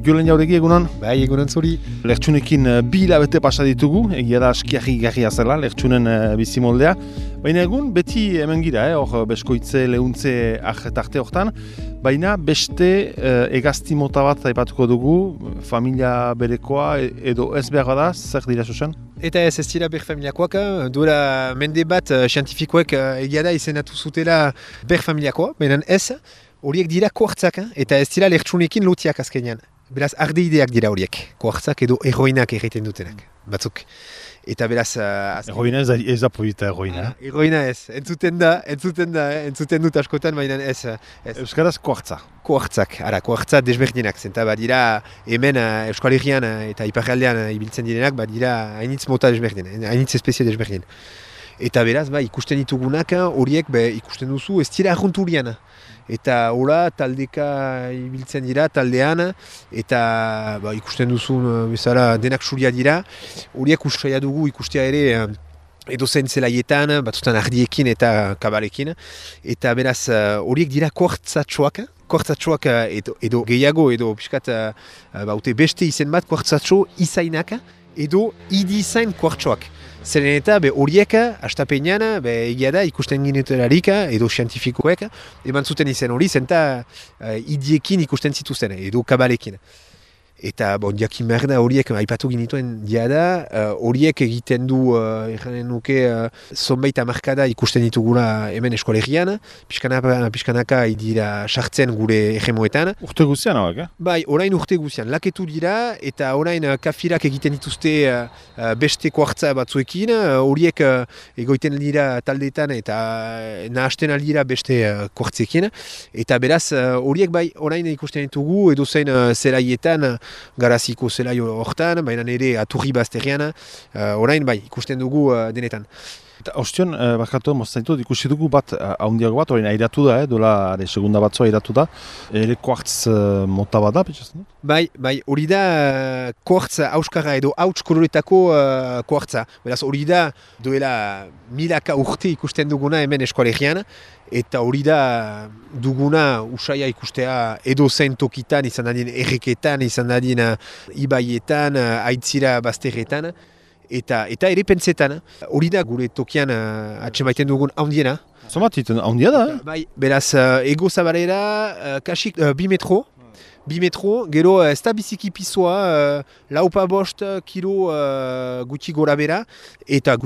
Julen Jauregi egunon? Bai, egunon zuri. Lertxunekin 2 hilabete pasa ditugu, egia da askiarri garria zela, lertxunen bizimoldea. Baina egun beti hemen gira, hor beskoitze, lehuntze tarte hortan. Baina beste hegazti mota bat aipatuko dugu, familia berekoa edo ez behar bada, zer dira zuzen? Eta ez dira ber familiakoak, duela mende bat zientifikoek egia da izenatu zutela ber familiakoa, baina ez, horiek dira kuartzak, eta ez dira lertxunekin lotiak azkenean. Beraz, ardeideak dira horiek, kuartzak edo heroinak egiten dutenak, batzuk. Eta beraz... Heroina ez da polita heroina. Heroina ez, entzuten dut askotan, baina ez. Euskaraz kuartza. Kuartzak, kuartza desberdinak, zenta badira hemen Euskal Herrian eta Iparraldean ibiltzen direnak, badira hainitz mota desberdin, hainitz espezie desberdin. Eta beraz, ikusten ditugunak horiek ikusten duzu ez dira arrunturian. Eta hola taldeka ibiltzen dira taldean eta ikusten duzun bezala denak suria dira. Horiek usaia dugu ikustea ere edozein zelaietan, batzutan ardiekin eta kabalekin. Eta beraz horiek dira kuartzatxoak. Kuartzatxoak edo gehiago edo piskat beste izen bat kuartzatxo izainak edo idizain kuartxoak. Zeren eta horiek, hastapenean, egia da ikusten ginetelarik edo zientifikoek, eman zuten izen hori, zenta idiekin ikusten zituzten, edo kabalekin. Eta jakin behar da horiek, aipatu ginituen diada, horiek egiten du, erranen nuke, zonbait hamarkada ikusten ditugula hemen eskolegian, pixkanaka dira sartzen gure egemoetan. Urte guzian hauek, Bai, orain urte guzian, laketu dira, eta orain kafirak egiten dituzte beste kuartza batzuekin, horiek egoiten dira taldeetan eta nahasten aldira beste kuartzekin, eta beraz horiek orain ikusten ditugu edozein zelaietan, garaziko zelai hortan, baina ere aturri bazterian, orain ikusten dugu denetan. Eta ostion, barkatu, moztaitut, ikusi dugu bat, haundiago bat, orain airatu da, dola, segunda batzua airatu da, ere kuartz mota bat da, petxazen? Bai, hori da kuartz auskara edo hauts koloretako kuartza. Beraz, hori da duela milaka urte ikusten duguna hemen eskolegian, eta hori da duguna usaia ikustea edo zen tokitan, izan dadin erreketan, izan dadin ibaietan, aitzira bazterretan, eta ere pentsetan. Hori da gure tokian atsemaiten dugun haundiena. Zomat iten haundia da, Bai, beraz, ego zabalera, kasik 2 metro. 2 metro, gero ez da biziki pisoa, laupa bost kilo guti gora bera, eta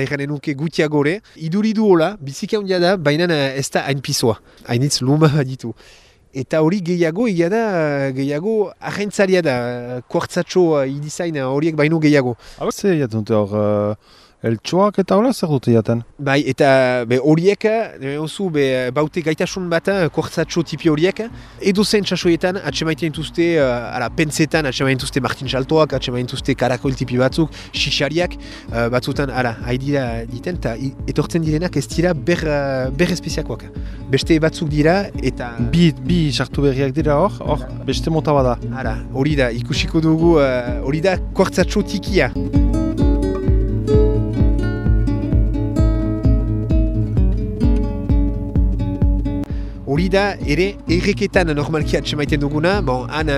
erranen nuke gutia gore. Iduridu hola, biziki handia da, baina ez da hain pisoa, hainitz luma ditu. Eta hori gehiago ahentzaria da, kuartzatxo idizain horiek baino gehiago. Zer jaten dute hor, eltsuak eta hola zer dute jaten? Bai, eta horiek, baute gaitasun bat, kuartzatxo tipi horiek, edo zen txasoietan atsemaiten dituzte, pentsetan atsemaiten dituzte Martin Saltoak, atsemaiten dituzte karakol tipi batzuk, xixariak, batzutan, haidira diten, eta etortzen direnak ez dira ber espeziakoak. Beste batzuk dira, eta... Bi sartu berriak dira hor, beste mota bada. Hori da, ikusiko dugu, hori da kuartzatxo tikia. Hori da, ere, erreketan normalki atsemaiten duguna, han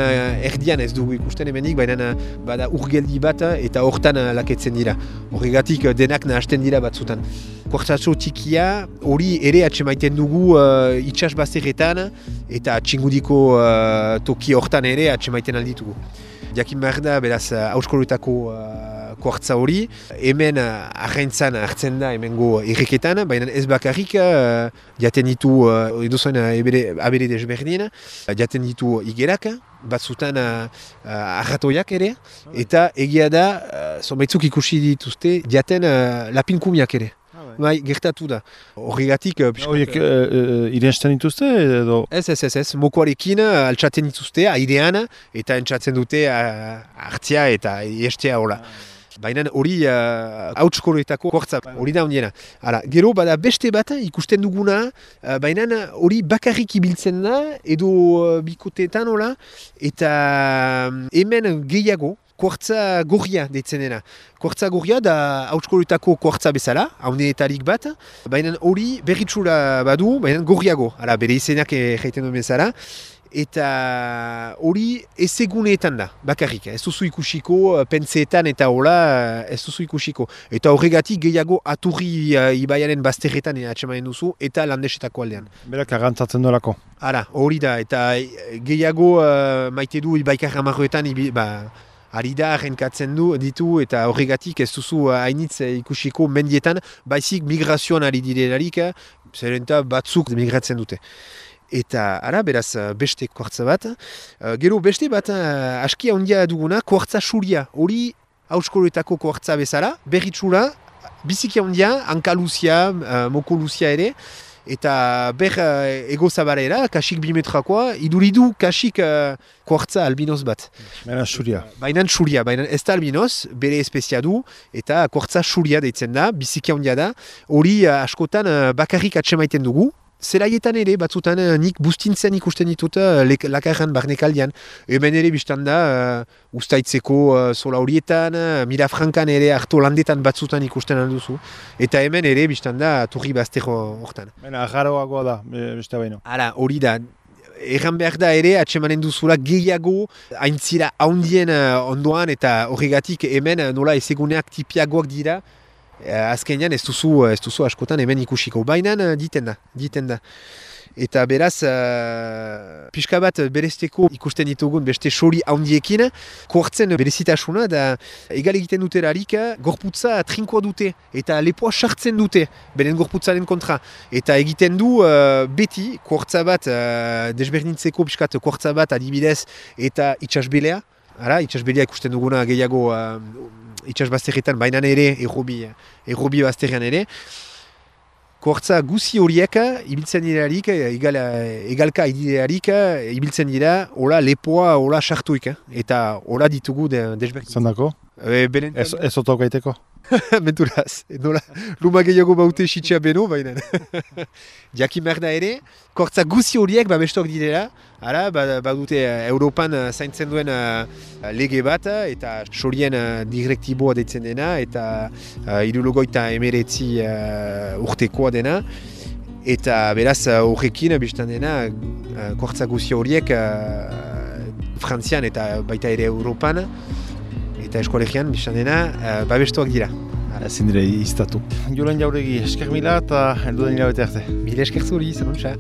erdian ez dugu ikusten hemenik, baina bada urgeldi bat eta hortan laketzen dira. Horregatik denak nahasten dira batzutan. Kuartzatxo tikia hori ere atsemaiten dugu itsas bazterretan eta txingudiko toki hortan ere atsemaiten alditugu. Jakin behar da, beraz, auskoloetako kuartza hori, hemen ahaintzan hartzen da hemengo erreketan, baina ez bakarrik jaten ditu edozoen abere desberdin, jaten ditu igerak, batzutan arratoiak ere, eta egia da, zonbaitzuk ikusi dituzte, jaten lapinkumiak ere. Bai, gertatu da. Horregatik... Horiek irensten dituzte edo? Ez, mokoarekin altxaten dituzte airean eta entxatzen dute hartzia eta iestea hola. Baina hori hautskoloetako kuartza, hori da ondiena. Gero bada beste bat ikusten duguna, baina hori bakarrik ibiltzen da edo bikoteetan hola, eta hemen gehiago kuartza gorria deitzen dena. Kuartza gorria da hautskoletako kuartza bezala, haunetarik bat, baina hori berritxura badu, baina gorriago, ala, bere izenak jaiten duen bezala, eta hori ezeguneetan da, bakarrik. Ez duzu ikusiko, pentseetan eta hola, ez duzu ikusiko. Eta horregatik gehiago aturri ibaiaren bazterretan atxemanen duzu, eta landesetako aldean. Berak agantzatzen duelako. Hala, hori da, eta gehiago maite du ibaikar amarroetan, ari da, renkatzen ditu, eta horregatik ez duzu hainitz ikusiko mendietan, baizik migrazioan ari direlarik, zerenta batzuk migratzen dute. Eta, ara, beraz, beste kuartza bat. Gero beste bat, askia ondia duguna, kuartza suria. Hori, hauskoletako kuartza bezala, berritxura, biziki ondia, hanka luzia, moko luzia ere, eta ego zabarera, kasik 2 metrakoa, iduridu kasik kuartza albinoz bat. Baina suria. Baina suria, baina ez da albinoz, bere espezia du, eta kuartza suria deitzen da, biziki ondia da. Hori, askotan, bakarrik atsemaiten dugu. Zelaietan ere, batzutan nik bustintzen ikusten ditut lakarran barnekaldian. Hemen ere biztan da, ustaitzeko zola horietan, Mirafrankan ere harto landetan batzutan ikusten alduzu. Eta hemen ere biztan da, turri baztero hortan. Baina, agarroagoa da, beste baino. Hala, hori da. Erran behar da ere, atsemanen duzula gehiago, haintzira haundien ondoan, eta horregatik hemen nola ezeguneak tipiagoak dira, azkenean ez duzu askotan hemen ikusiko. Baina diten da. Eta beraz, pixka bat berezteko ikusten ditugun beste sori handiekin, kuartzen berezitasuna da egal egiten duterarik gorputza trinkoa dute eta lepoa sartzen dute beren gorputzaren kontra. Eta egiten du beti kuartza bat desberdintzeko pixkat kuartza bat adibidez eta itxasbelea. Itxasbelea ikusten duguna gehiago itxasbazterretan, baina ere errobi bazterrean ere. Kuartza guzi horiek ibiltzen dirarik, egalka idilearik, ibiltzen dira, hola lepoa, hola sartuik, eta hola ditugu desberdin. Zandako? Ez otok gaiteko? Menturaz, luma gehiago baute sitxea beno, baina. Jakin behar da ere, kuartza guzi horiek bestok direla, badute Europan zaintzen duen lege bat, eta sorien direktiboa deitzen dena, eta 79 urtekoa dena. Eta beraz horrekin biztan dena, kuartza guzi horiek Frantzian eta baita ere Europan, eta eskolegian biztan dena, babestuak dira. Ezin dire iztatu. Jolen Jauregi, esker mila eta heldu den hilabete arte. Mila esker zuri, zenontza.